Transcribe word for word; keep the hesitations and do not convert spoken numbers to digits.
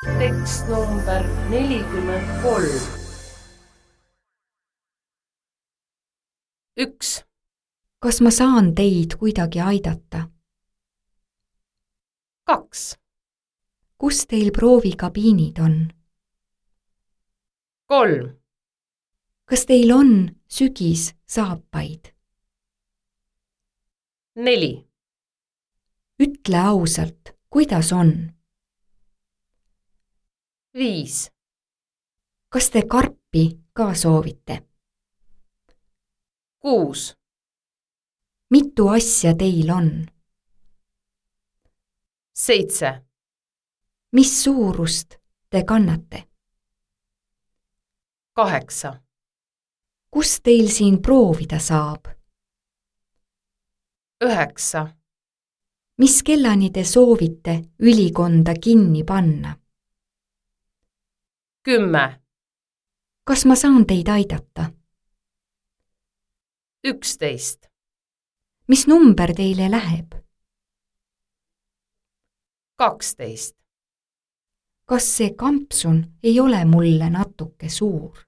Tekst number nelikümmend kolm. üks. Kas ma saan teid kuidagi aidata? kaks. Kus teil proovikabiinid on? kolm. Kas teil on sügissaapaid? neli. Ütle ausalt, kuidas on? viis. Kas te karpi ka soovite? kuus. Mitu asja teil on? seitse. Mis suurust te kannate? kaheksa. Kus teil siin proovida saab? üheksa. Mis kellani te soovite ülikonda kinni panna? kümme. Kas ma saan teid aidata? üksteist. Mis number teile läheb? kaksteist. Kas see kampsun ei ole mulle natuke suur?